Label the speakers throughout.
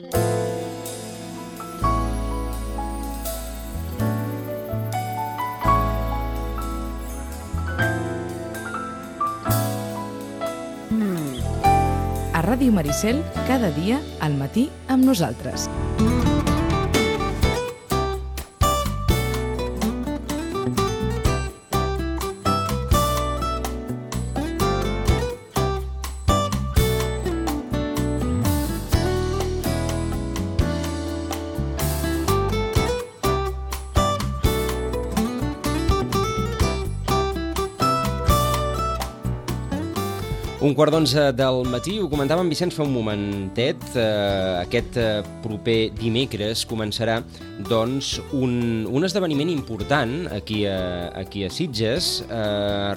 Speaker 1: A Ràdio Maricel, cada dia, al matí, amb nosaltres.
Speaker 2: Un quart d'11 del matí, ho comentava en Vicenç fa un momentet, aquest proper dimecres començarà doncs, un esdeveniment important aquí a Sitges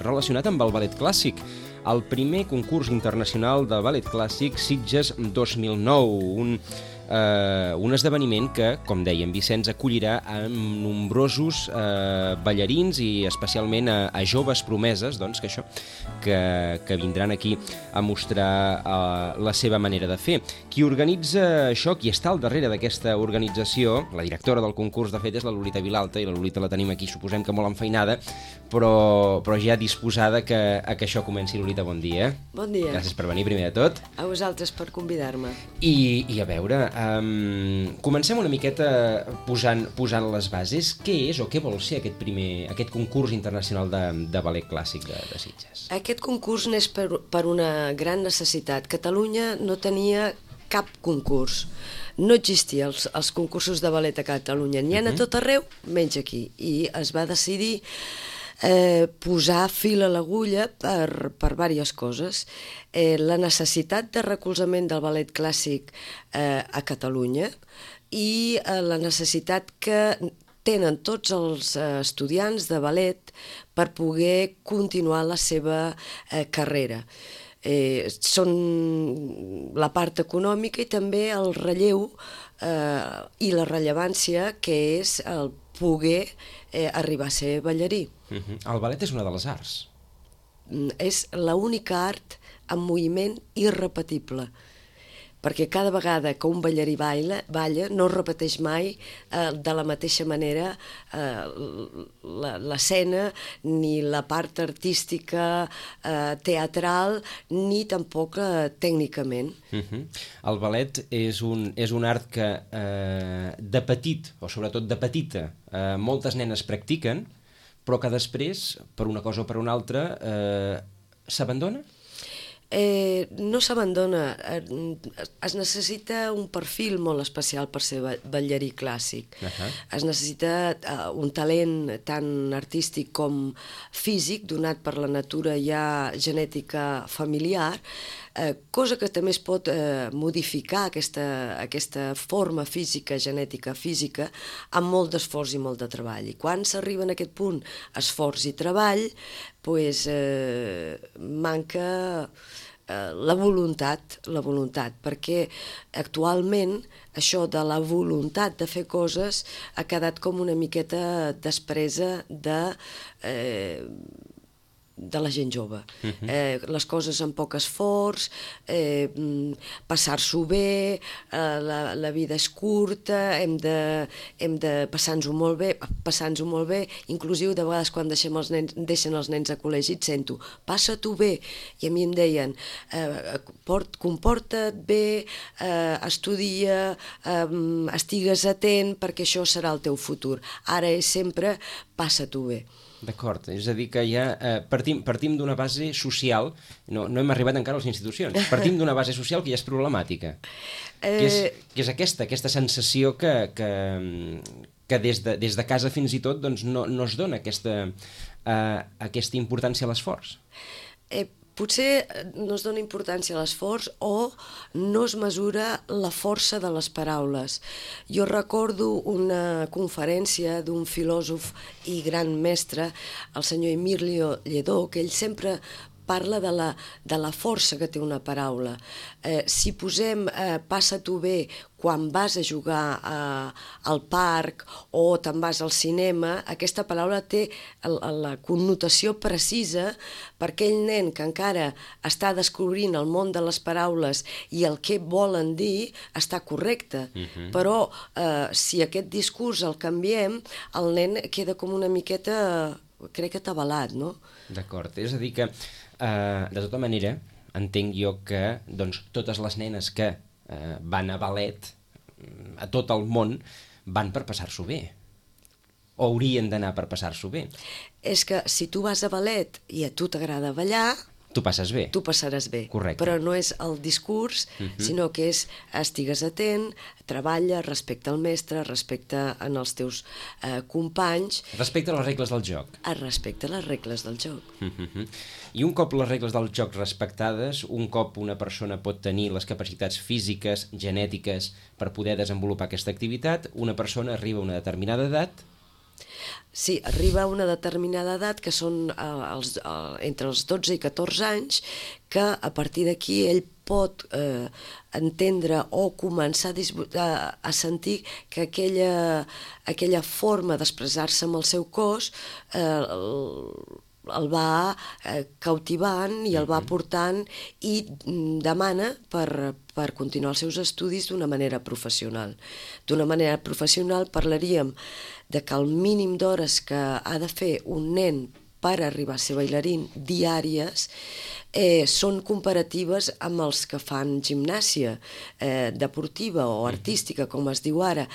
Speaker 2: relacionat amb el ballet clàssic. El primer concurs internacional del ballet clàssic Sitges 2009, un esdeveniment que, com deia en Vicenç, acollirà a nombrosos ballarins i especialment a joves promeses doncs, que vindran aquí a mostrar la seva manera de fer. Qui organitza això, qui està al darrere d'aquesta organització, la directora del concurs, de fet, és la Lolita Vilalta, i la Lolita la tenim aquí, suposem que molt enfeinada, però ja disposada que això comenci. Lolita, bon dia.
Speaker 3: Bon dia.
Speaker 2: Gràcies per venir, primer de tot.
Speaker 3: A vosaltres per convidar-me.
Speaker 2: I a veure, comencem una miqueta posant les bases. Què és o què vol ser aquest concurs internacional de ballet clàssic de Sitges?
Speaker 3: Aquest concurs n'és per una gran necessitat. Catalunya no tenia cap concurs. No existien els concursos de ballet a Catalunya. N'hi ha a tot arreu, menys aquí. I es va decidir posar fil a l'agulla per diverses coses. La necessitat de recolzament del ballet clàssic a Catalunya i la necessitat que tenen tots els estudiants de ballet per poder continuar la seva carrera. Són la part econòmica i també el relleu i la rellevància que és el poder arribar a ser ballarí.
Speaker 2: El ballet és una de les arts.
Speaker 3: És l'única art amb moviment irrepetible, perquè cada vegada que un ballarí balla no repeteix mai de la mateixa manera l'escena, ni la part artística, teatral, ni tampoc tècnicament.
Speaker 2: El ballet és un art que de petit, o sobretot de petita, moltes nenes practiquen, però que després, per una cosa o per una altra, s'abandona?
Speaker 3: No s'abandona. Es necessita un perfil molt especial per ser ballarí clàssic. Es necessita un talent tant artístic com físic, donat per la natura ja genètica familiar, cosa que també es pot modificar, aquesta forma física, genètica física, amb molt d'esforç i molt de treball. I quan s'arriba en aquest punt, esforç i treball, manca la voluntat, perquè actualment això de la voluntat de fer coses ha quedat com una miqueta despresa de la gent jove. Les coses amb poc esforç, passar-s'ho bé, la vida és curta, hem de passar-nos-ho molt bé, inclusiu de vegades quan deixen els nens a col·legi et sento, passa-t'ho bé, i a mi em deien, comporta't bé, estudia, estigues atent perquè això serà el teu futur. Ara és sempre passa-t'ho bé.
Speaker 2: D'acord, és a dir que ja partim d'una base social, no hem arribat encara a les institucions, partim d'una base social que ja és problemàtica, que és aquesta sensació que des de casa fins i tot no es dona aquesta importància a l'esforç.
Speaker 3: Potser no es dona importància a l'esforç o no es mesura la força de les paraules. Jo recordo una conferència d'un filòsof i gran mestre, el senyor Emilio Lledó, que ell sempre parla de la força que té una paraula. Si posem passa-t'ho bé quan vas a jugar al parc o te'n vas al cinema, aquesta paraula té la connotació precisa per aquell nen que encara està descobrint el món de les paraules i el que volen dir està correcte. Però si aquest discurs el canviem, el nen queda com una miqueta, crec que atabalat, no?
Speaker 2: D'acord, és a dir que, de tota manera, entenc jo que totes les nenes que van a ballet a tot el món van per passar-s'ho bé, o haurien d'anar per passar-s'ho bé.
Speaker 3: És que si tu vas a ballet i a tu t'agrada ballar,
Speaker 2: tu passes bé.
Speaker 3: Tu passaràs bé.
Speaker 2: Correcte.
Speaker 3: Però no és el discurs, sinó que és estigues atent, treballa, respecta el mestre, respecta en els teus companys.
Speaker 2: Respecta les regles del joc.
Speaker 3: Respecta les regles del joc.
Speaker 2: I un cop les regles del joc respectades, un cop una persona pot tenir les capacitats físiques, genètiques, per poder desenvolupar aquesta activitat, una persona arriba a una determinada edat.
Speaker 3: Sí, arriba a una determinada edat, que són entre els 12 i 14 anys, que a partir d'aquí ell pot entendre o començar a sentir que aquella forma d'expressar-se amb el seu cos el va cautivant i el va portant i demana per continuar els seus estudis d'una manera professional. D'una manera professional parlaríem de que el mínim d'hores que ha de fer un nen per arribar a ser bailarín diàries són comparatives amb els que fan gimnàsia deportiva o artística, com es diu ara.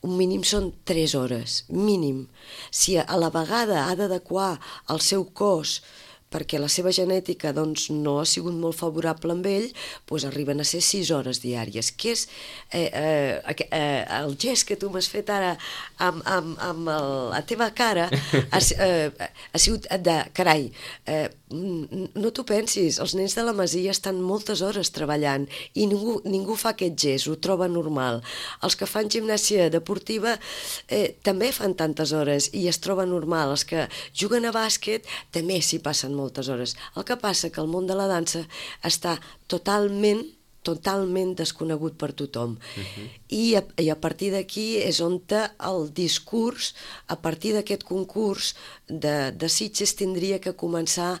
Speaker 3: Un mínim són 3 hores, mínim. Si a la vegada ha d'adequar el seu cos perquè la seva genètica no ha sigut molt favorable amb ell, arriben a ser 6 hores diàries, que és el gest que tu m'has fet ara amb la teva cara ha sigut de carai, no t'ho pensis, els nens de la Masia estan moltes hores treballant i ningú fa aquest gest, ho troba normal. Els que fan gimnàsia deportiva també fan tantes hores i es troba normal. Els que juguen a bàsquet també s'hi passen moltes hores. El que passa que el món de la dansa està totalment desconegut per tothom. I a partir d'aquí és on el discurs, a partir d'aquest concurs de Sitges, tindria que començar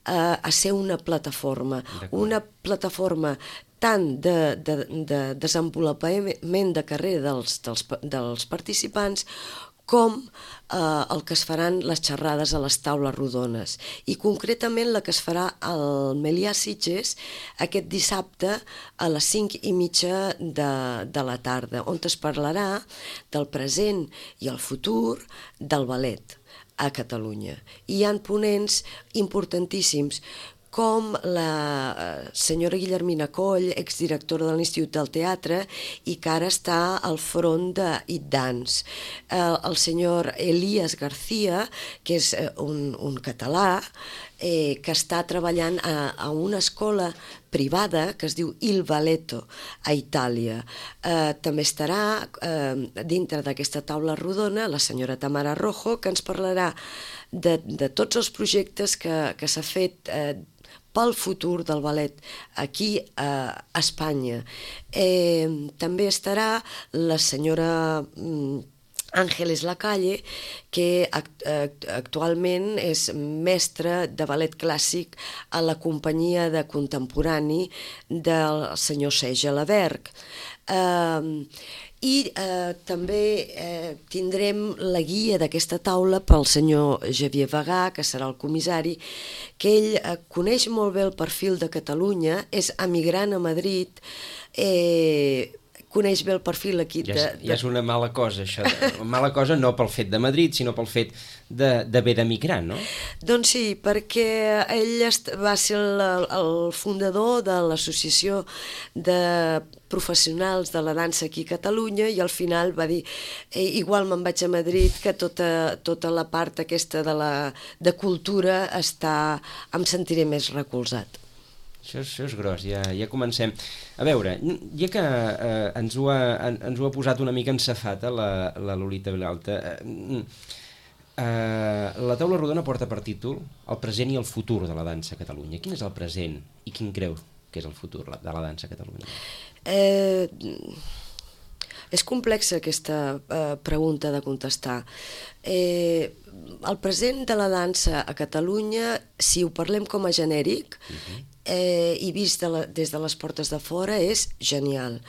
Speaker 3: a ser una plataforma tant de desenvolupament de carrera dels participants com el que es faran les xerrades a les taules rodones. I concretament la que es farà al Melià Sitges aquest dissabte a les 5:30 de la tarda, on es parlarà del present i el futur del ballet a Catalunya. I hi ha ponents importantíssims, com la senyora Guillermina Coll, exdirectora de l'Institut del Teatre i que ara està al front d'It Dance. El senyor Elías García, que és un català, que està treballant a una escola privada que es diu Il Balletto a Itàlia. També estarà dintre d'aquesta taula rodona la senyora Tamara Rojo, que ens parlarà de tots els projectes que s'ha fet pel futur del ballet aquí a Espanya. També estarà la senyora Ángeles Lacalle, que actualment és mestra de ballet clàssic a la companyia de contemporani del senyor Serge Laberg. I també tindrem la guia d'aquesta taula pel senyor Javier Bagà, que serà el comissari, que ell coneix molt bé el perfil de Catalunya, és emigrant a Madrid, coneix bé el perfil aquí.
Speaker 2: Ja és una mala cosa, això. Mala cosa no pel fet de Madrid, sinó pel fet d'haver d'emigrar, no?
Speaker 3: Doncs sí, perquè ell va ser el fundador de l'associació de professionals de la dansa aquí a Catalunya i al final va dir igual me'n vaig a Madrid, que tota la part aquesta de cultura em sentiré més recolzat.
Speaker 2: Això és gros, ja comencem. A veure, ja que ens ho ha posat una mica en safata la Lolita Vilalta, La taula rodona porta per títol el present i el futur de la dansa a Catalunya. Quin és el present i quin creu que és el futur de la dansa a Catalunya?
Speaker 3: És complexa aquesta pregunta de contestar. El present de la dansa a Catalunya, si ho parlem com a genèric, i vist des de les portes de fora, és genial.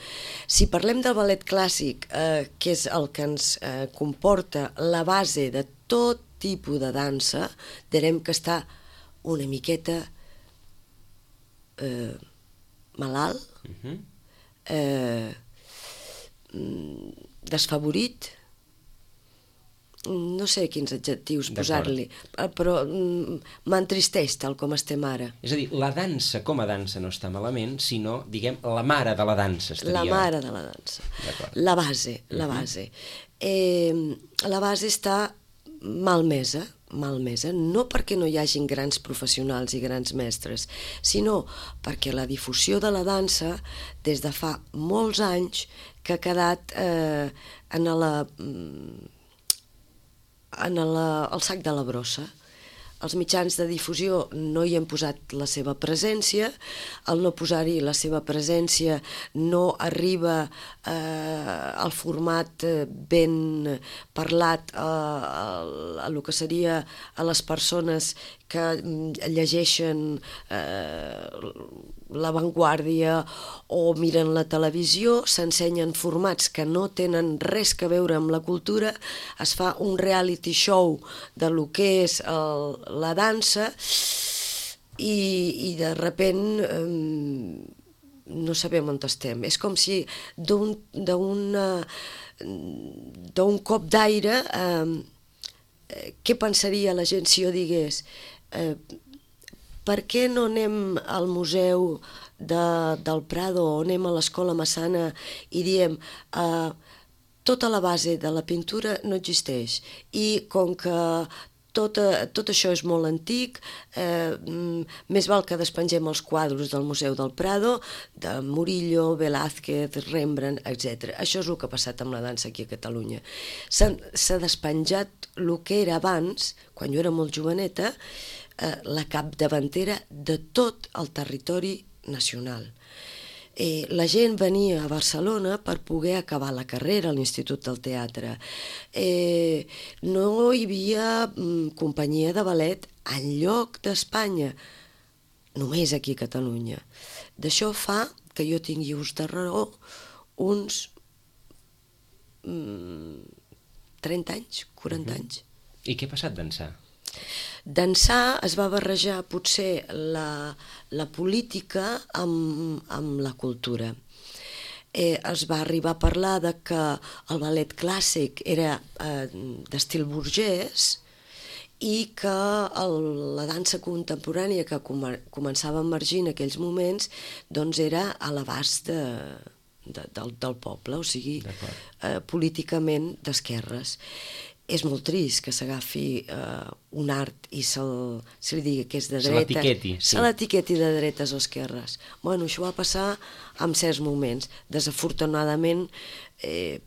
Speaker 3: Si parlem del ballet clàssic, que és el que ens comporta la base de tot tipus de dansa, direm que està una miqueta malalt, desfavorit, no sé quins adjectius posar-li, però m'entristeix tal com estem ara.
Speaker 2: És a dir, la dansa com a dansa no està malament, sinó, diguem, la mare de la dansa estaria...
Speaker 3: La mare de la dansa. La base, la base. La base està malmesa, no perquè no hi hagin grans professionals i grans mestres, sinó perquè la difusió de la dansa, des de fa molts anys, que ha quedat al sac de la brossa. Els mitjans de difusió no hi han posat la seva presència, al no posar-hi la seva presència no arriba al format ben parlat a lo que seria a les persones que llegeixen La Vanguardia o miren la televisió, s'ensenyen formats que no tenen res a veure amb la cultura, es fa un reality show de lo que és la dansa i de repent no sabem on estem. És com si d'un cop d'aire què pensaria la gent si jo digués per què no anem al museu del Prado o anem a l'Escola Massana i diem tota la base de la pintura no existeix i com que tot això és molt antic, més val que despengem els quadros del Museu del Prado, de Murillo, Velázquez, Rembrandt, etc. Això és el que ha passat amb la dansa aquí a Catalunya. S'ha despenjat el que era abans, quan jo era molt joveneta, la capdavantera de tot el territori nacional. La gent venia a Barcelona per poder acabar la carrera a l'Institut del Teatre. No hi havia companyia de ballet enlloc d'Espanya, només aquí a Catalunya. D'això fa que jo tingui ús de raó uns 30 anys, 40 anys.
Speaker 2: I què ha passat d'ençà?
Speaker 3: D'ençà es va barrejar potser la política amb la cultura. Es va arribar a parlar de que el ballet clàssic era d'estil burgès i que la dansa contemporània que començava a emergir en aquells moments doncs era a l'abast del poble, o sigui, políticament d'esquerres. És molt trist que s'agafi un art i se li digui que és de dreta. Se l'etiqueti de dretes o esquerres. Bueno, això va passar en certs moments, desafortunadament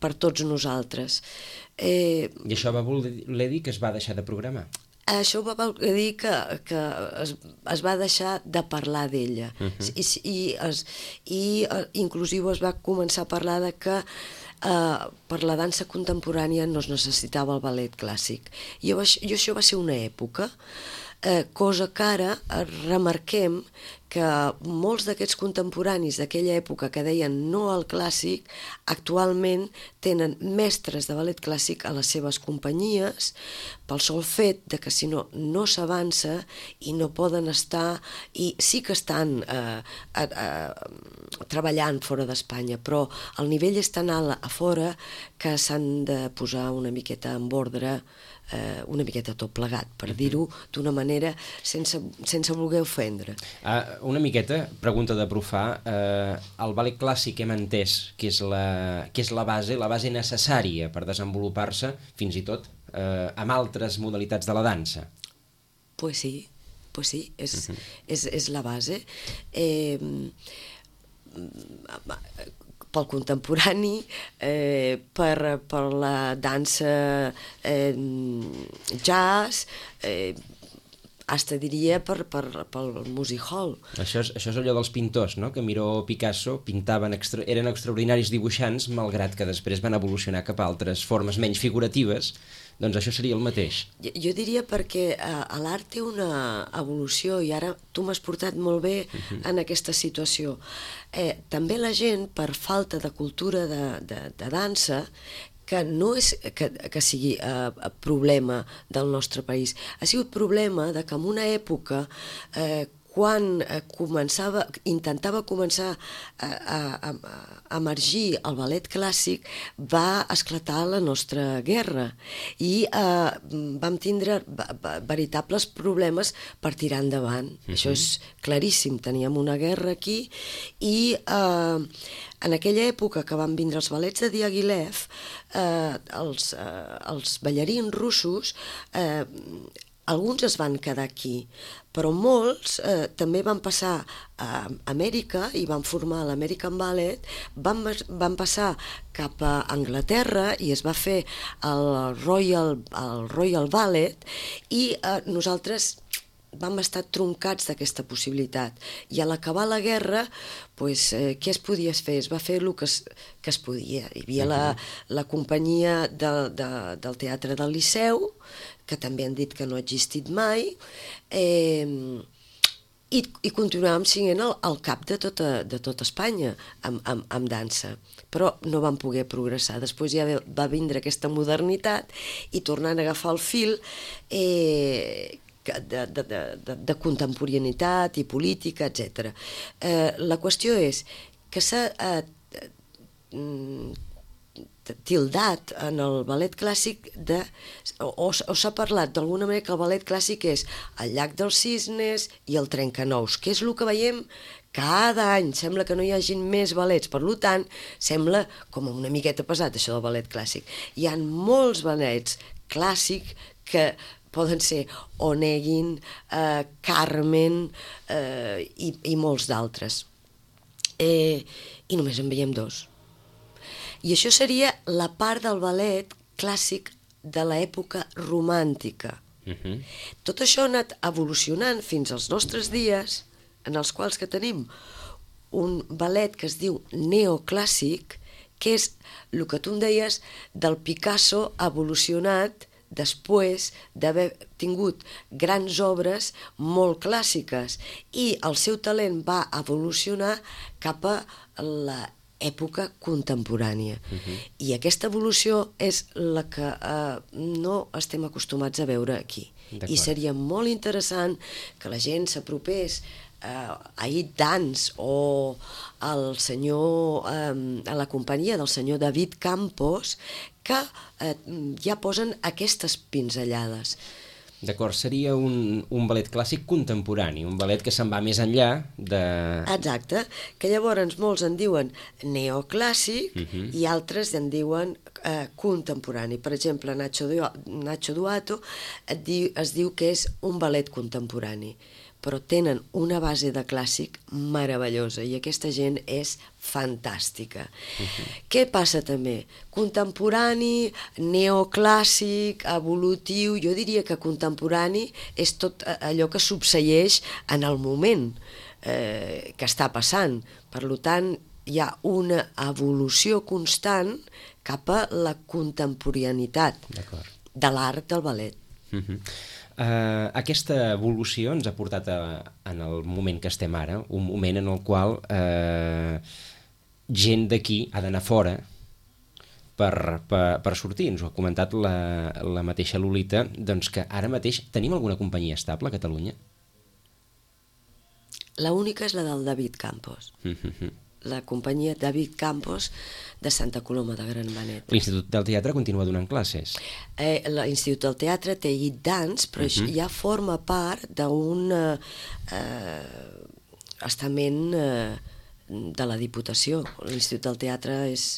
Speaker 3: per tots nosaltres.
Speaker 2: I això va voler dir que es va deixar de programar?
Speaker 3: Això va voler dir que es va deixar de parlar d'ella. I inclusiu es va començar a parlar de que per la dansa contemporània no es necessitava el ballet clàssic. I això va ser una època, cosa que ara remarquem que molts d'aquests contemporanis d'aquella època que deien no al clàssic, actualment tenen mestres de ballet clàssic a les seves companyies pel sol fet de que si no, no s'avança i no poden estar, i sí que estan treballant fora d'Espanya, però el nivell és tan alt a fora que s'han de posar una miqueta en ordre, una miqueta tot plegat, per dir-ho d'una manera sense voler ofendre.
Speaker 2: Una miqueta, pregunta de profà, el ballet clàssic hem entès que és la base necessària per desenvolupar-se fins i tot amb altres modalitats de la dansa.
Speaker 3: Pues sí, és la base. pel contemporani, per la dansa jazz, hasta diria pel music hall.
Speaker 2: Això és allò dels pintors, no? Que Miró o Picasso eren extraordinaris dibuixants, malgrat que després van evolucionar cap a altres formes menys figuratives. Doncs això seria el mateix.
Speaker 3: Jo diria perquè l'art té una evolució i ara tu m'has portat molt bé en aquesta situació. També la gent, per falta de cultura de dansa, que no és que sigui problema del nostre país, ha sigut problema de que en una època quan intentava començar a emergir el ballet clàssic, va esclatar la nostra guerra i vam tindre veritables problemes per tirar endavant. Això és claríssim, teníem una guerra aquí i en aquella època que van vindre els ballets de Diaghilev, els ballarins russos, alguns es van quedar aquí, però molts també van passar a Amèrica i van formar l'American Ballet, van passar cap a Anglaterra i es va fer el Royal Ballet i nosaltres vam estar troncats d'aquesta possibilitat. I a l'acabar la guerra, què es podia fer? Es va fer el que es podia. Hi havia la companyia del Teatre del Liceu, que també han dit que no ha existit mai, i continuàvem sent el cap de tota Espanya amb dansa, però no vam poder progressar. Després ja va vindre aquesta modernitat i tornant a agafar el fil de contemporaneïtat i política, etc. La qüestió és que s'ha tildat en el ballet clàssic o s'ha parlat d'alguna manera que el ballet clàssic és el Llac dels Cisnes i el Trencanous, que és el que veiem cada any. Sembla que no hi hagin més ballets, per tant, sembla com una miqueta pesat això del ballet clàssic. Hi ha molts ballets clàssics que poden ser Onegin, Carmen i molts d'altres. I només en veiem dos. I això seria la part del ballet clàssic de l'època romàntica. Tot això ha anat evolucionant fins als nostres dies, en els quals que tenim un ballet que es diu neoclàssic, que és el que tu em deies del Picasso evolucionat després d'haver tingut grans obres molt clàssiques, i el seu talent va evolucionar cap a l'època contemporània. I aquesta evolució és la que no estem acostumats a veure aquí. I seria molt interessant que la gent s'apropés a It Dance o a la companyia del senyor David Campos, que ja posen aquestes pinzellades.
Speaker 2: D'acord, seria un ballet clàssic contemporani, un ballet que se'n va més enllà de...
Speaker 3: Exacte, que llavors molts en diuen neoclàssic i altres en diuen contemporani. Per exemple, Nacho Duato es diu que és un ballet contemporani, però tenen una base de clàssic meravellosa i aquesta gent és fantàstica. Què passa també? Contemporani, neoclàssic, evolutiu. Jo diria que contemporani és tot allò que succeeix en el moment que està passant. Per tant, hi ha una evolució constant cap a la contemporaneïtat de l'art del ballet.
Speaker 2: Aquesta evolució ens ha portat en el moment que estem ara, un moment en el qual gent d'aquí ha d'anar fora per sortir. Ens ho ha comentat la mateixa Lolita, doncs que ara mateix tenim alguna companyia estable a Catalunya?
Speaker 3: L'única és la del David Campos. La companyia David Campos de Santa Coloma de Gramenet.
Speaker 2: L'Institut del Teatre continua donant classes?
Speaker 3: L'Institut del Teatre té It Dance, però ja forma part d'un estament de la Diputació. L'Institut del Teatre és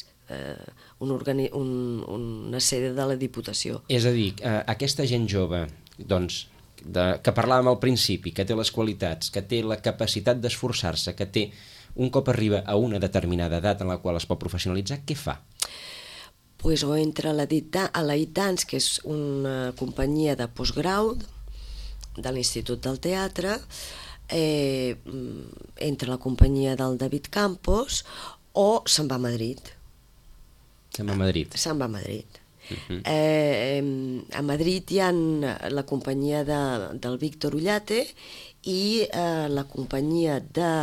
Speaker 3: una sede de la Diputació.
Speaker 2: És a dir, aquesta gent jove, doncs, que parlàvem al principi, que té les qualitats, que té la capacitat d'esforçar-se, que té un cop arriba a una determinada edat en la qual es pot professionalitzar, què fa?
Speaker 3: Pues o entra a la It Dance, que és una companyia de postgrau de l'Institut del Teatre, entra a la companyia del David Campos o se'n va a Madrid.
Speaker 2: Se'n va a Madrid.
Speaker 3: Se'n va a Madrid. A Madrid hi ha la companyia del Víctor Ullate i la companyia de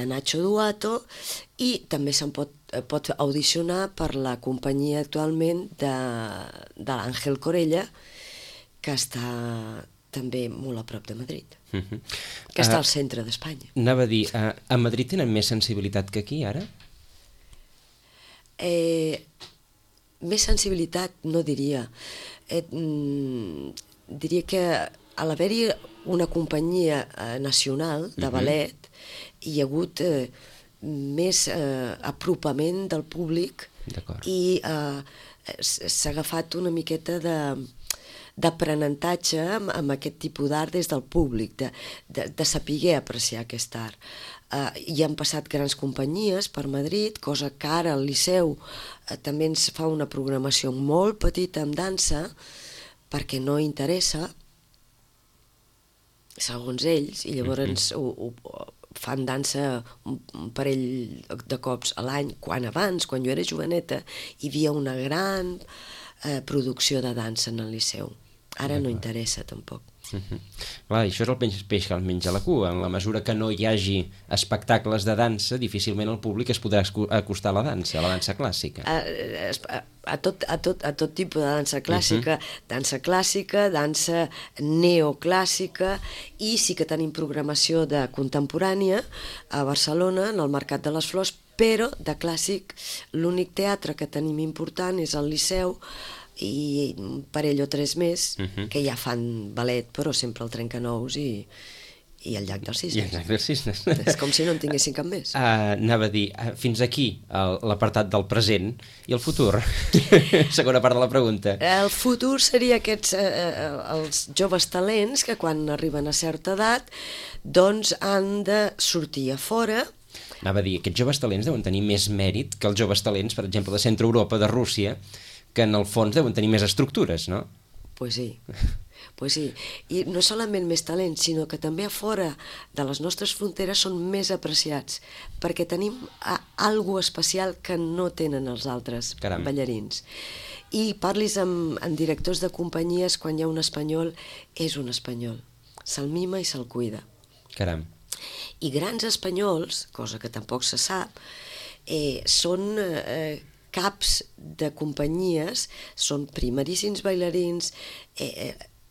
Speaker 3: Nacho Duato, i també se'n pot audicionar per la companyia actualment de l'Àngel Corella, que està també molt a prop de Madrid, que està al centre d'Espanya.
Speaker 2: Anava a dir, a Madrid tenen més sensibilitat que aquí, ara?
Speaker 3: Més sensibilitat no diria. Diria que a l'haver-hi una companyia nacional de ballet hi ha hagut més apropament del públic i s'ha agafat una miqueta d'aprenentatge amb aquest tipus d'art des del públic, de saber apreciar aquest art. Hi han passat grans companyies per Madrid, cosa que ara el Liceu també ens fa una programació molt petita amb dansa, perquè no interessa, segons ells, i llavors fan dansa un parell de cops a l'any. Quan jo era joveneta, hi havia una gran producció de dansa en el Liceu. Ara no interessa tampoc.
Speaker 2: Clar, això és el peix que el menja la cua. En la mesura que no hi hagi espectacles de dansa, difícilment el públic es podrà acostar a la dansa clàssica.
Speaker 3: A tot tipus de dansa clàssica, dansa neoclàssica, i sí que tenim programació de contemporània a Barcelona, en el Mercat de les Flors, però de clàssic l'únic teatre que tenim important és el Liceu, i un parell o tres més que ja fan ballet, però sempre el Trencanous i el Llac dels Cisnes. És com si no en tinguessin cap més.
Speaker 2: Anava a dir, fins aquí l'apartat del present i el futur. Segona part de la pregunta.
Speaker 3: El futur seria els joves talents que quan arriben a certa edat doncs han de sortir a fora.
Speaker 2: Anava a dir, aquests joves talents deuen tenir més mèrit que els joves talents, per exemple, de Centre Europa, de Rússia, que en el fons deuen tenir més estructures, no?
Speaker 3: Pues sí. I no solament més talent, sinó que també a fora de les nostres fronteres són més apreciats, perquè tenim alguna especial que no tenen els altres ballarins. I parlis amb directors de companyies, quan hi ha un espanyol, és un espanyol. Se'l mima i se'l cuida.
Speaker 2: Caram.
Speaker 3: I grans espanyols, cosa que tampoc se sap, són caps de companyies, són primeríssims bailarins,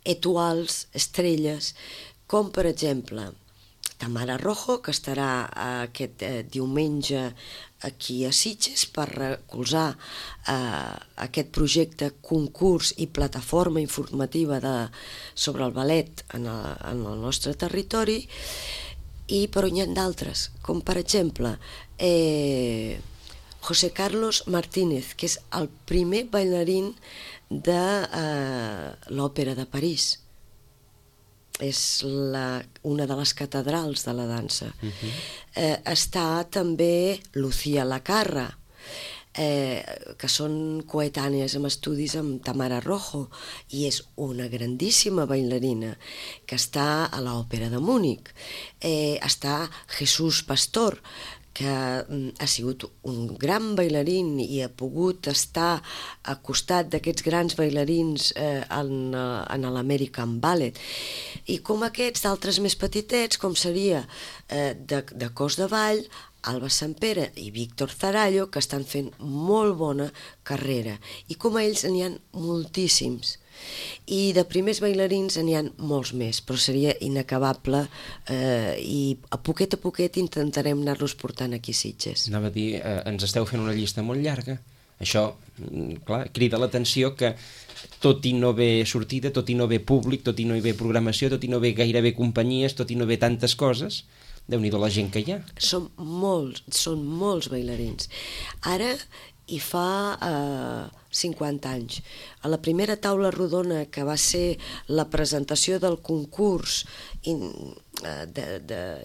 Speaker 3: étoiles, estrelles, com per exemple Tamara Rojo, que estarà aquest diumenge aquí a Sitges per recolzar aquest projecte, concurs i plataforma informativa sobre el ballet en el nostre territori, però hi ha d'altres, com per exemple José Carlos Martínez, que és el primer bailarín de l'Òpera de París. És una de les catedrals de la dansa. Està també Lucía Lacarra, que són coetànies amb estudis amb Tamara Rojo, i és una grandíssima bailarina que està a l'Òpera de Múnich. Està Jesús Pastor, que ha sigut un gran bailarín i ha pogut estar al costat d'aquests grans bailarins en l'American Ballet. I com aquests d'altres més petitets, com seria de cos de ball, Alba Sampere i Víctor Zarallo, que estan fent molt bona carrera. I com a ells n'hi ha moltíssims. I de primers bailarins n'hi ha molts més, però seria inacabable, i a poquet intentarem anar-los portant aquí a Sitges.
Speaker 2: Anava a dir, ens esteu fent una llista molt llarga. Això, clar, crida l'atenció que tot i no haver sortida, tot i no haver públic, tot i no haver programació, tot i no haver gairebé companyies, tot i no haver tantes coses, Déu-n'hi-do la gent que hi ha.
Speaker 3: Són molts bailarins. Ara i fa 50 anys. A la primera taula rodona, que va ser la presentació del concurs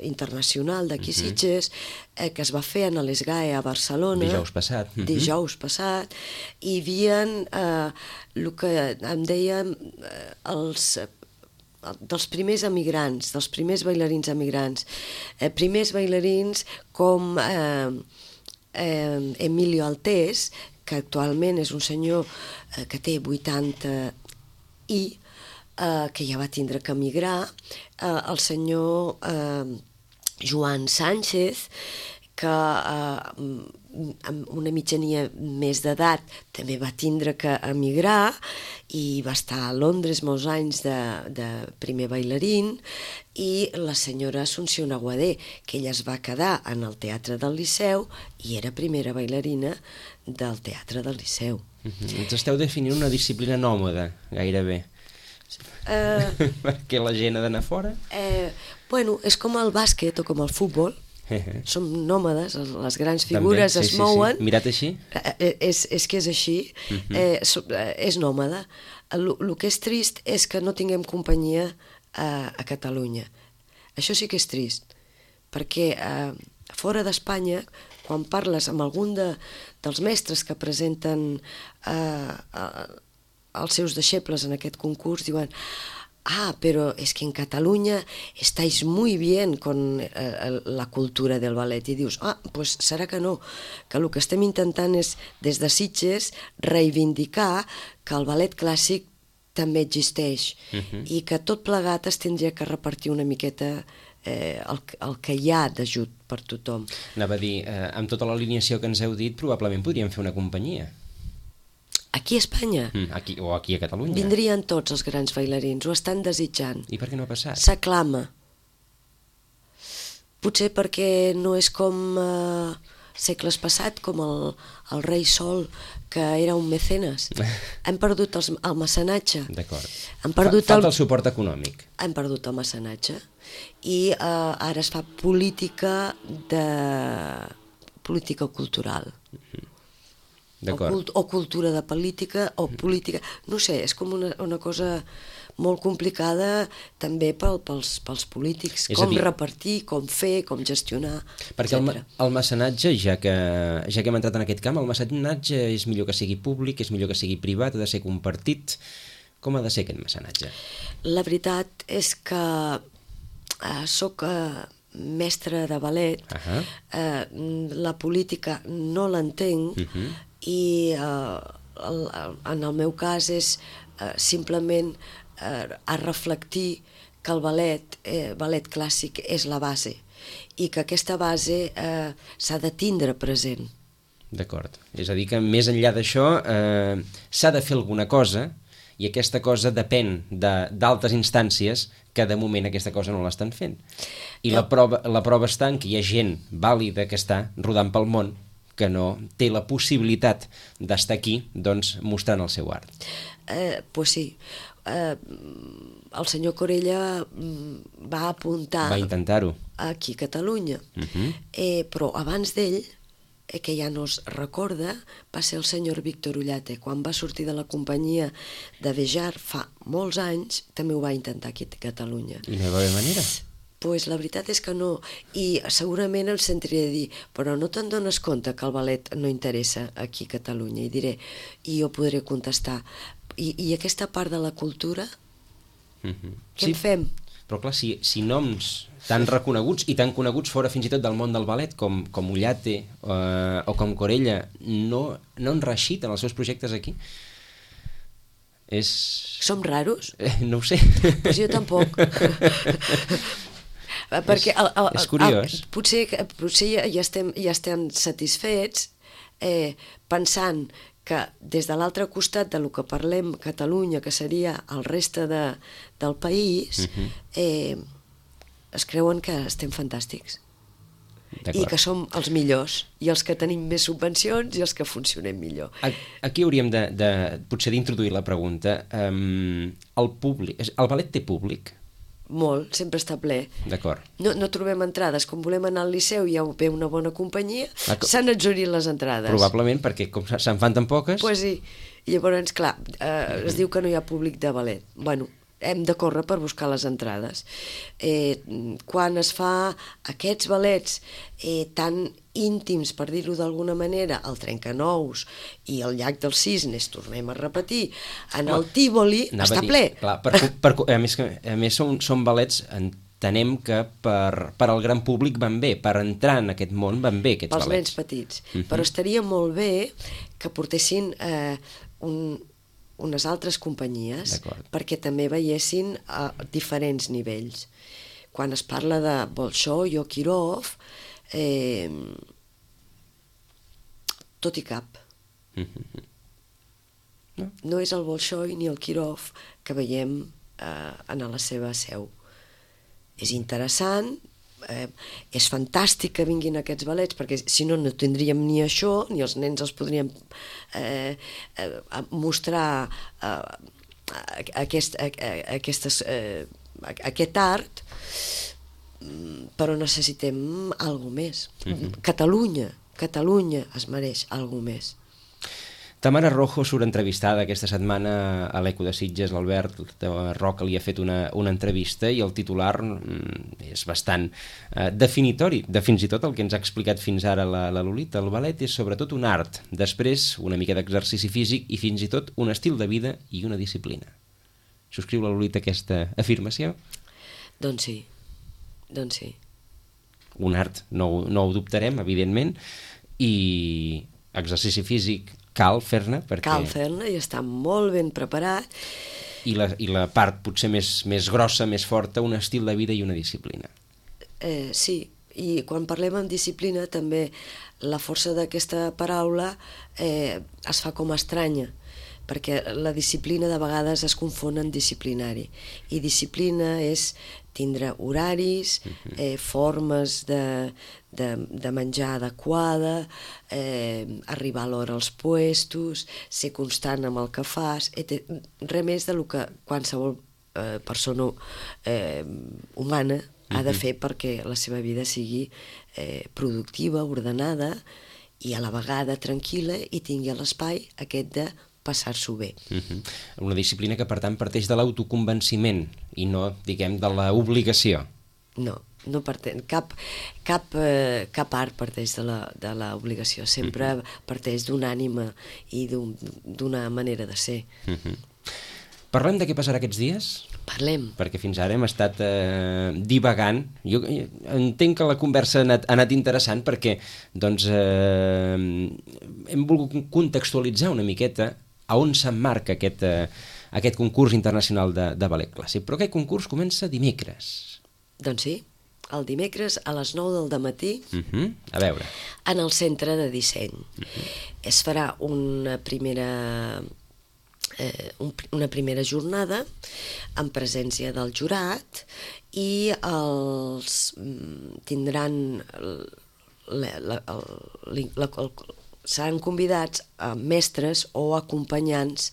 Speaker 3: internacional d'aquí Sitges, que es va fer a l'Esgae a Barcelona dijous passat, hi havia el que en dèiem dels primers emigrants, dels primers bailarins emigrants, primers bailarins com Emilio Altés, que actualment és un senyor que té 80 i que ja va tindre que emigrar, el senyor Joan Sánchez, que amb una mitjania més d'edat també va tindre que emigrar i va estar a Londres molts anys de primer bailarín, i la senyora Assumpció Aguadé, que ella es va quedar en el Teatre del Liceu i era primera bailarina del Teatre del Liceu.
Speaker 2: Ens esteu definint una disciplina nòmada, gairebé. Perquè la gent ha d'anar fora?
Speaker 3: Bueno, és com el bàsquet o com el futbol. Som nòmades, les grans figures es mouen.
Speaker 2: Mirat així?
Speaker 3: És que és així, és nòmada. El que és trist és que no tinguem companyia a Catalunya. Això sí que és trist, perquè fora d'Espanya, quan parles amb algun dels mestres que presenten els seus deixebles en aquest concurs, diuen: pero es que en Cataluña estáis muy bien con la cultura del ballet. I dius, pues serà que no, que el que estem intentant és, des de Sitges, reivindicar que el ballet clàssic també existeix i que tot plegat es tindria que repartir una miqueta el que hi ha d'ajut per tothom.
Speaker 2: Anava a dir, amb tota l'alineació que ens heu dit, probablement podríem fer una companyia.
Speaker 3: Aquí a Espanya?
Speaker 2: O aquí a Catalunya.
Speaker 3: Vindrien tots els grans bailarins, ho estan desitjant.
Speaker 2: I per què no ha passat?
Speaker 3: S'aclama. Potser perquè no és com segles passat, com el rei Sol, que era un mecenes. Hem perdut el mecenatge.
Speaker 2: D'acord.
Speaker 3: Falta
Speaker 2: el suport econòmic.
Speaker 3: Hem perdut el mecenatge i ara es fa política cultural. O cultura de política, o política, no sé, és com una cosa molt complicada també pels polítics, com repartir, com fer, com gestionar,
Speaker 2: perquè el mecenatge, ja que hem entrat en aquest camp, el mecenatge és millor que sigui públic, és millor que sigui privat, ha de ser compartit. Com ha de ser aquest mecenatge?
Speaker 3: La veritat és que soc mestra de ballet, la política no l'entenc, i en el meu cas és simplement a reflectir que el ballet clàssic és la base i que aquesta base s'ha de tindre present.
Speaker 2: D'acord, és a dir que més enllà d'això s'ha de fer alguna cosa i aquesta cosa depèn d'altres instàncies que de moment aquesta cosa no l'estan fent. I la prova està en que hi ha gent vàlida que està rodant pel món que no té la possibilitat d'estar aquí, doncs, mostrant el seu art.
Speaker 3: Pues sí. El senyor Corella va apuntar...
Speaker 2: Va intentar-ho.
Speaker 3: Aquí a Catalunya. Però abans d'ell, que ja no es recorda, va ser el senyor Víctor Ullate. Quan va sortir de la companyia de Bejar fa molts anys, també ho va intentar aquí a Catalunya.
Speaker 2: I no hi va haver manera?
Speaker 3: Pues la veritat és que no, i segurament em sentiria dir, però no te'n dones compte que el ballet no interessa aquí a Catalunya, i diré, i jo podré contestar, i aquesta part de la cultura, què en fem?
Speaker 2: Però clar, si noms tan reconeguts i tan coneguts fora fins i tot del món del ballet com Ullate o com Corella no en reeixiten els seus projectes aquí,
Speaker 3: Som raros?
Speaker 2: No ho sé.
Speaker 3: Pues jo tampoc. Perquè
Speaker 2: és curiós.
Speaker 3: Potser ja estem satisfets pensant que des de l'altre costat de lo que parlem Catalunya, que seria el reste del país, es creuen que estem fantàstics i que som els millors i els que tenim més subvencions i els que funcionem millor.
Speaker 2: Aquí hauríem potser d'introduir la pregunta. El ballet té públic?
Speaker 3: molt, sempre està ple.
Speaker 2: D'acord.
Speaker 3: No trobem entrades. Com volem anar al Liceu i ja ve una bona companyia, s'han exhaurit les entrades.
Speaker 2: Probablement, perquè com se'n fan tan poques...
Speaker 3: Pues sí. I llavors, clar, es diu que no hi ha públic de ballet. Bueno, hem de córrer per buscar les entrades. Quan es fa aquests ballets tan íntims, per dir-ho d'alguna manera, el Trencanous i el Llac dels Cisnes, tornem a repetir, en el Tívoli està ple.
Speaker 2: Clar, a més són ballets, entenem que per al gran públic van bé, per entrar en aquest món van bé aquests ballets.
Speaker 3: Pels nens petits. Però estaria molt bé que portessin unes altres companyies perquè també veiessin a diferents nivells. Quan es parla de Bolshoi o Kirov, tot i cap. No és el Bolshoi ni el Kirov que veiem en la seva seu. És interessant, és fantàstic que vinguin aquests ballets, perquè si no, no tindríem ni això, ni els nens els podríem mostrar aquest art, però necessitem alguna més. Catalunya es mereix alguna més.
Speaker 2: Tamara Rojo surt entrevistada aquesta setmana a l'Eco de Sitges. L'Albert Roca li ha fet una entrevista i el titular és bastant definitori de fins i tot el que ens ha explicat fins ara la Lolita. El ballet és sobretot un art, després una mica d'exercici físic i fins i tot un estil de vida i una disciplina. Subscriu la Lolita aquesta afirmació?
Speaker 3: Doncs sí.
Speaker 2: Un art, no ho dubtarem, evidentment, i exercici físic cal fer-ne perquè...
Speaker 3: Cal fer-ne i està molt ben preparat.
Speaker 2: I la part potser més grossa, més forta, un estil de vida i una disciplina.
Speaker 3: Sí, i quan parlem en disciplina també la força d'aquesta paraula es fa com estranya, perquè la disciplina de vegades es confon en disciplinari, i disciplina és tindre horaris, formes de menjar adequada, arribar a l'hora als puestos, ser constant amb el que fas, res més del que qualsevol persona humana ha de fer perquè la seva vida sigui productiva, ordenada i a la vegada tranquil·la i tingui l'espai aquest de passar-s'ho bé.
Speaker 2: Una disciplina que, per tant, parteix de l'autoconvenciment i no, diguem, de l'obligació.
Speaker 3: No parteix, cap art parteix de l'obligació, sempre parteix d'una ànima i d'una manera de ser.
Speaker 2: Parlem de què passarà aquests dies?
Speaker 3: Parlem.
Speaker 2: Perquè fins ara hem estat divagant. Jo entenc que la conversa ha anat interessant perquè doncs, hem volgut contextualitzar una miqueta a on s'emmarca aquest concurs internacional de ballet clàssic. Però aquest concurs comença dimecres.
Speaker 3: Doncs sí, el dimecres a les 9 del matí,
Speaker 2: a veure,
Speaker 3: en el centre de disseny. Es farà una primera jornada en presència del jurat i tindran seran convidats a mestres o acompanyants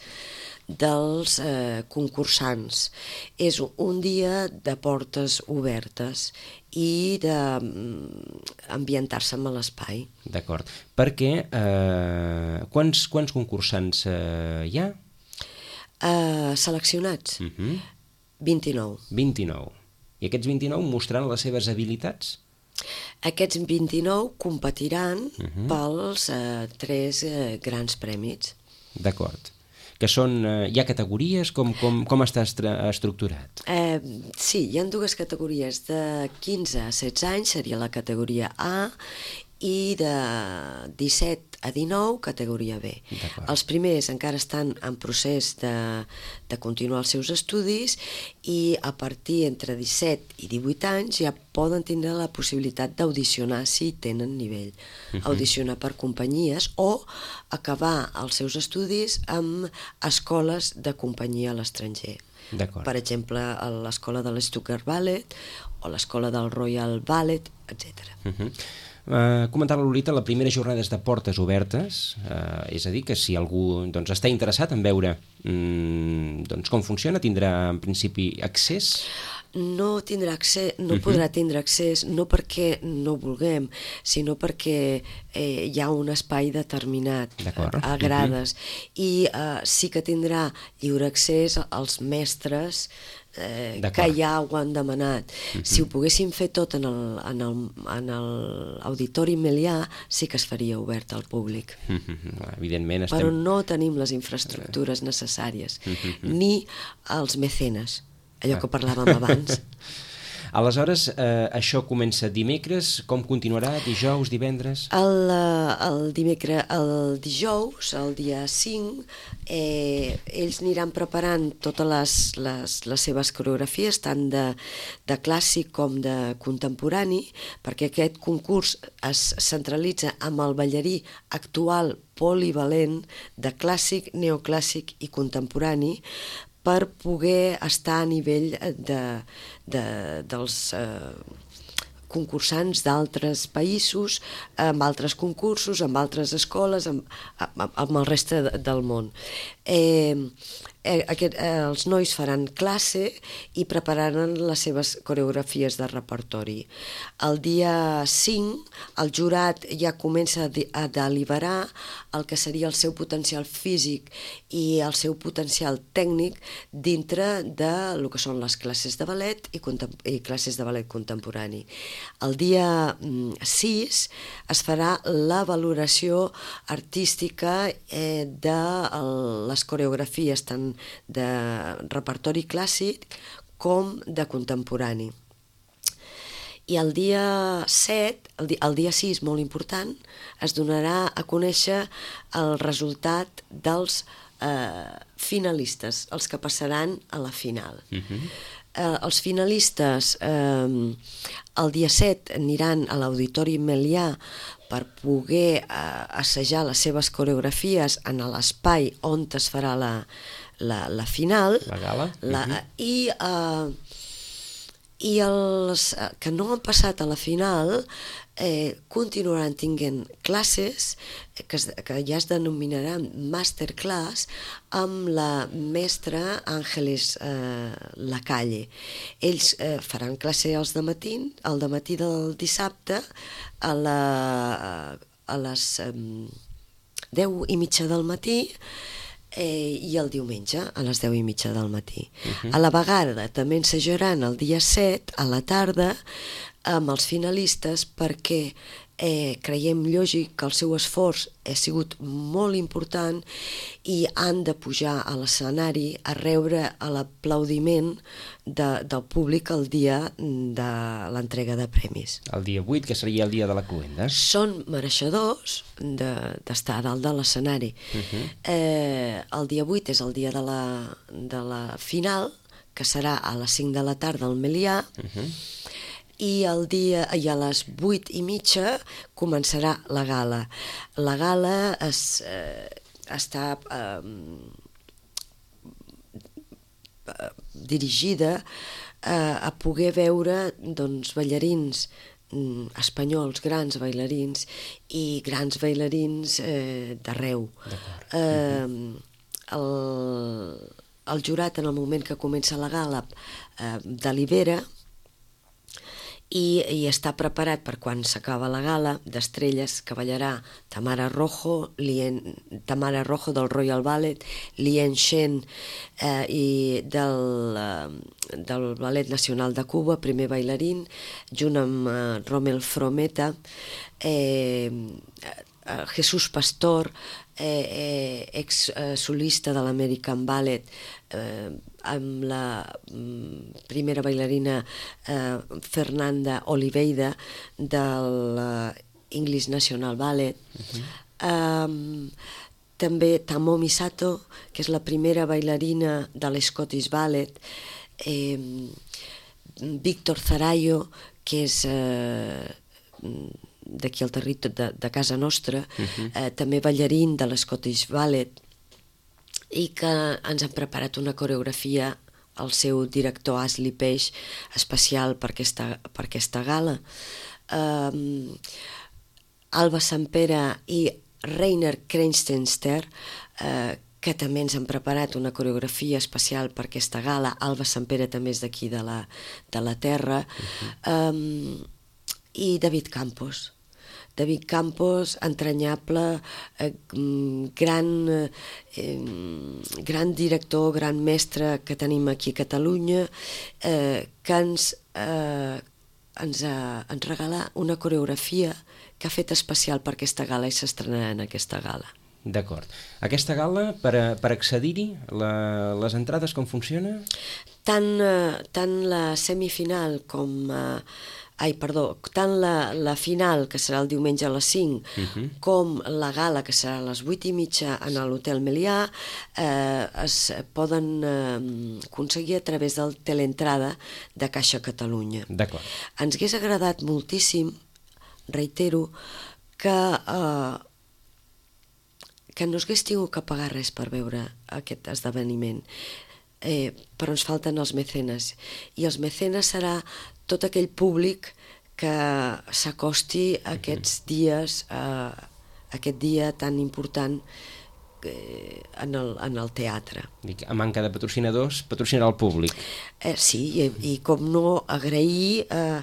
Speaker 3: dels concursants. És un dia de portes obertes i d'ambientar-se amb l'espai.
Speaker 2: D'acord. Perquè quants concursants hi ha?
Speaker 3: Seleccionats? 29.
Speaker 2: 29. I aquests 29 mostraran les seves habilitats?
Speaker 3: Aquests 29 competiran pels 3 grans prèmits.
Speaker 2: D'acord. Que són... Hi ha categories? Com està estructurat?
Speaker 3: Sí, hi ha 2 categories. De 15 a 16 anys seria la categoria A i de 17 a 19, categoria B. Els primers encara estan en procés de continuar els seus estudis i a partir entre 17 i 18 anys ja poden tindre la possibilitat d'audicionar si tenen nivell. Audicionar per companyies o acabar els seus estudis amb escoles de companyia a l'estranger. Per exemple, a l'escola de l'Stuttgart Ballet o l'escola del Royal Ballet, etc.
Speaker 2: Comentar la Lolita, la primera jornada és de portes obertes, és a dir, que si algú està interessat en veure com funciona, tindrà en principi accés?
Speaker 3: no tindrà accés, no podrà tindre accés, no perquè no vulguem, sinó perquè hi ha un espai determinat a grades, i sí que tindrà lliure accés als mestres que ja ho han demanat. Si ho poguéssim fer tot en l'Auditori Melià, sí que es faria obert al públic.
Speaker 2: Evidentment estem...
Speaker 3: Però no tenim les infraestructures necessàries, ni els mecenes, allò que parlàvem abans.
Speaker 2: Aleshores, això comença dimecres, com continuarà? Dijous, divendres?
Speaker 3: El dijous, el dia 5, ells aniran preparant totes les seves coreografies, tant de clàssic com de contemporani, perquè aquest concurs es centralitza amb el ballarí actual polivalent de clàssic, neoclàssic i contemporani, per poder estar a nivell dels concursants d'altres països, amb altres concursos, amb altres escoles, amb el reste del món. Els nois faran classe i prepararan les seves coreografies de repertori. El dia 5 el jurat ja comença a deliberar el que seria el seu potencial físic i el seu potencial tècnic dintre de lo que són les classes de ballet i classes de ballet contemporani. El dia 6 es farà la valoració artística de les coreografies tant de repertori clàssic com de contemporani. I el dia 7, el dia 6, molt important, es donarà a conèixer el resultat dels finalistes, els que passaran a la final. Els finalistes el dia 7 aniran a l'Auditori Melià per poder assajar les seves coreografies en l'espai on es farà la final.
Speaker 2: La gala.
Speaker 3: I els que no han passat a la final continuaran tinguent classes que ja es denominaran masterclass amb la mestra Àngeles Lacalle. Ells faran classe al dematí del dissabte a les 10:30 del matí i el diumenge a les 10:30 del matí. A la vegada també ensajaran el dia 7 a la tarda amb els finalistes perquè creiem lògic que el seu esforç ha sigut molt important i han de pujar a l'escenari a rebre l'aplaudiment del públic el dia de l'entrega de premis.
Speaker 2: El dia 8, que seria el dia de la cluenda.
Speaker 3: Són mereixedors d'estar a dalt de l'escenari. El dia 8 és el dia de la final, que serà a les 5 de la tarda al Melià, i a les 8:30 començarà la gala. La gala està dirigida a poder veure ballarins espanyols, grans bailarins i grans bailarins d'arreu. El jurat, en el moment que comença la gala, delibera i està preparat per quan s'acaba la gala d'estrelles que ballarà Tamara Rojo del Royal Ballet, Lien Shen del Ballet Nacional de Cuba, primer bailarín, junt amb Rommel Frometa, Jesús Pastor, ex-solista de l'American Ballet, amb la primera bailarina Fernanda Oliveira del English National Ballet, també Tamomi Sato, que és la primera bailarina de l'Scottish Ballet, Víctor Zarayo, que és d'aquí al territori de casa nostra, també ballarín de l'Scottish Ballet, i que ens han preparat una coreografia, el seu director Asli Peix, especial per aquesta gala. Alba Sampere i Rainer Krenstenster, que també ens han preparat una coreografia especial per aquesta gala. Alba Sampere també és d'aquí de la terra. I David Campos, entranyable, gran director, gran mestre que tenim aquí a Catalunya, que ens regala una coreografia que ha fet especial per aquesta gala i s'estrenarà en aquesta gala.
Speaker 2: D'acord. Aquesta gala, per accedir-hi, les entrades com funciona?
Speaker 3: Tant la semifinal com... tant la final, que serà el diumenge a les 5, com la gala, que serà a les 8:30 en l'Hotel Melià, es poden aconseguir a través del teleentrada de Caixa Catalunya.
Speaker 2: D'acord.
Speaker 3: Ens hagués agradat moltíssim, reitero, que no s'hagués tingut que pagar res per veure aquest esdeveniment, però ens falten els mecenes, i els mecenes serà tot aquell públic que s'acosti a aquests dies, aquest dia tan important en el teatre.
Speaker 2: A manca de patrocinadors, patrocinarà el públic.
Speaker 3: Sí, i com no, agrair a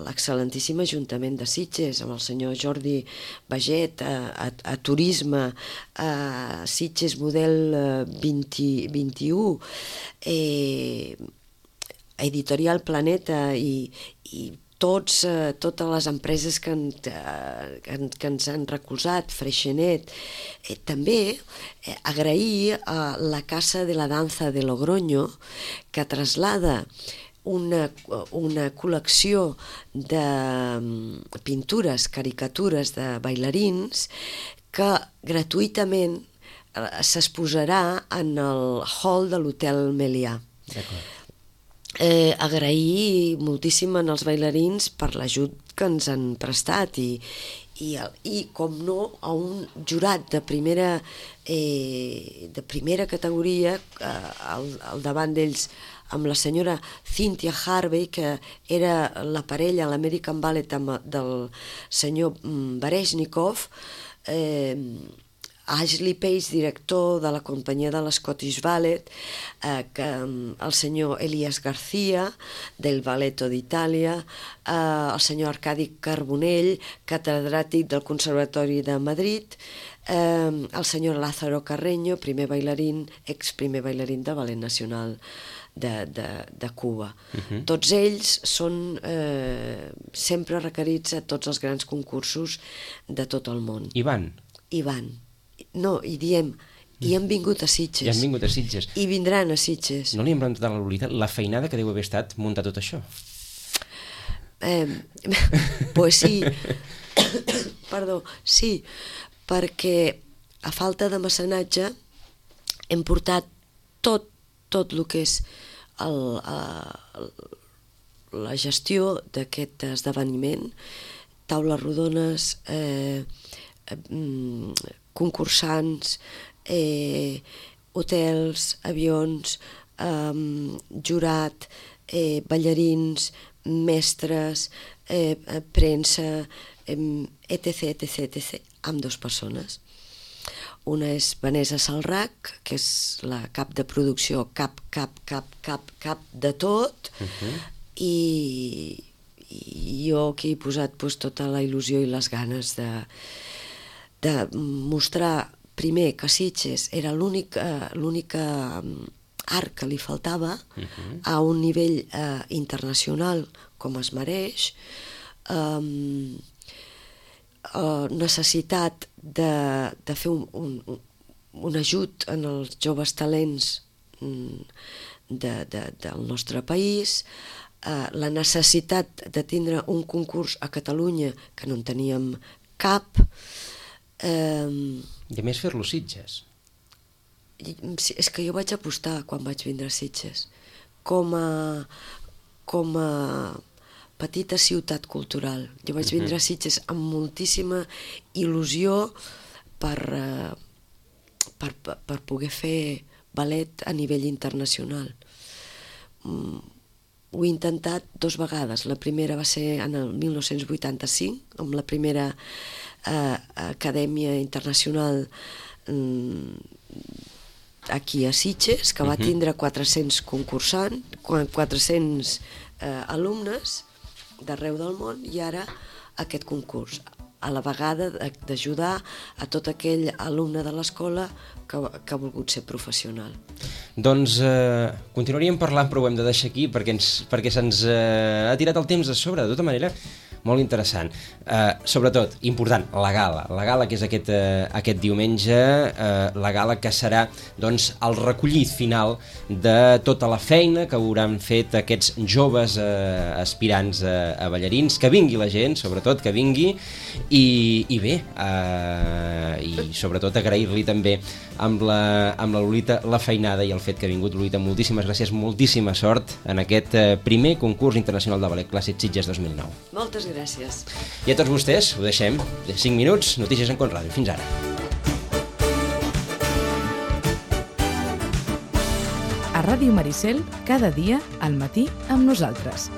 Speaker 3: l'excel·lentíssim Ajuntament de Sitges, amb el senyor Jordi Baget, a Turisme, a Sitges Model 2021, a Editorial Planeta i totes les empreses que ens han recolzat, Freixenet. També agrair a la Casa de la Danza de Logroño, que traslada una col·lecció de pintures, caricatures de bailarins que gratuïtament s'exposarà en el hall de l'Hotel Melià.
Speaker 2: D'acord.
Speaker 3: Agrair moltíssim als bailarins per l'ajut que ens han prestat i com no, a un jurat de primera categoria, al davant d'ells amb la senyora Cynthia Harvey, que era la parella a l'American Ballet del senyor Baresnikov, Ashley Page, director de la companyia de l'Scottish Ballet, el senyor Elias García, del Balletto d'Itàlia, el senyor Arcadi Carbonell, catedràtic del Conservatori de Madrid, el senyor Lázaro Carreño, ex-primer bailarín de Ballet Nacional de Cuba. Tots ells són sempre requerits a tots els grans concursos de tot el món.
Speaker 2: I van?
Speaker 3: I van. No, i diem, i han vingut a Sitges.
Speaker 2: I han vingut a Sitges.
Speaker 3: I vindran a Sitges.
Speaker 2: No li hem preguntat a la Lolita la feinada que deu haver estat muntar tot això?
Speaker 3: Pues sí. Perdó, sí, perquè a falta de mecenatge hem portat tot el que és la gestió d'aquest esdeveniment, taules rodones, concursants, hotels, avions, jurat, ballarins, mestres, premsa, etc, amb 2 persones. Una és Vanessa Salrac, que és la cap de producció, cap de tot, i jo que he posat tota la il·lusió i les ganes de mostrar primer que Sitges era l'únic art que li faltava a un nivell internacional com es mereix, necessitat de fer un ajut en els joves talents del nostre país, la necessitat de tindre un concurs a Catalunya que no en teníem cap,
Speaker 2: i a més fer-lo Sitges.
Speaker 3: És que jo vaig apostar quan vaig vindre a Sitges com a petita ciutat cultural. Jo vaig vindre a Sitges amb moltíssima il·lusió per poder fer ballet a nivell internacional. Ho he intentat 2 vegades. La primera va ser en el 1985, amb la primera Acadèmia Internacional aquí a Sitges, que va tindre 400 concursants, 400 alumnes d'arreu del món, i ara aquest concurs, a la vegada d'ajudar a tot aquell alumne de l'escola que ha volgut ser professional.
Speaker 2: Doncs continuaríem parlant, però ho hem de deixar aquí perquè se'ns ha tirat el temps de sobre. De tota manera, molt interessant. Sobretot, important, la gala que és aquest diumenge, la gala que serà doncs, el recollit final de tota la feina que hauran fet aquests joves aspirants a ballarins. Que vingui la gent, sobretot, que vingui, i bé, i sobretot agrair-li també amb la Lolita la feinada i el fet que ha vingut. Lolita, moltíssimes gràcies, moltíssima sort en aquest primer concurs internacional de ballet clàssic Sitges 2009.
Speaker 3: Moltes gràcies.
Speaker 2: I a tots vostès, ho deixem de 5 minuts, notícies en Con Ràdio. Fins ara.
Speaker 1: A Ràdio Maricel, cada dia al matí amb nosaltres.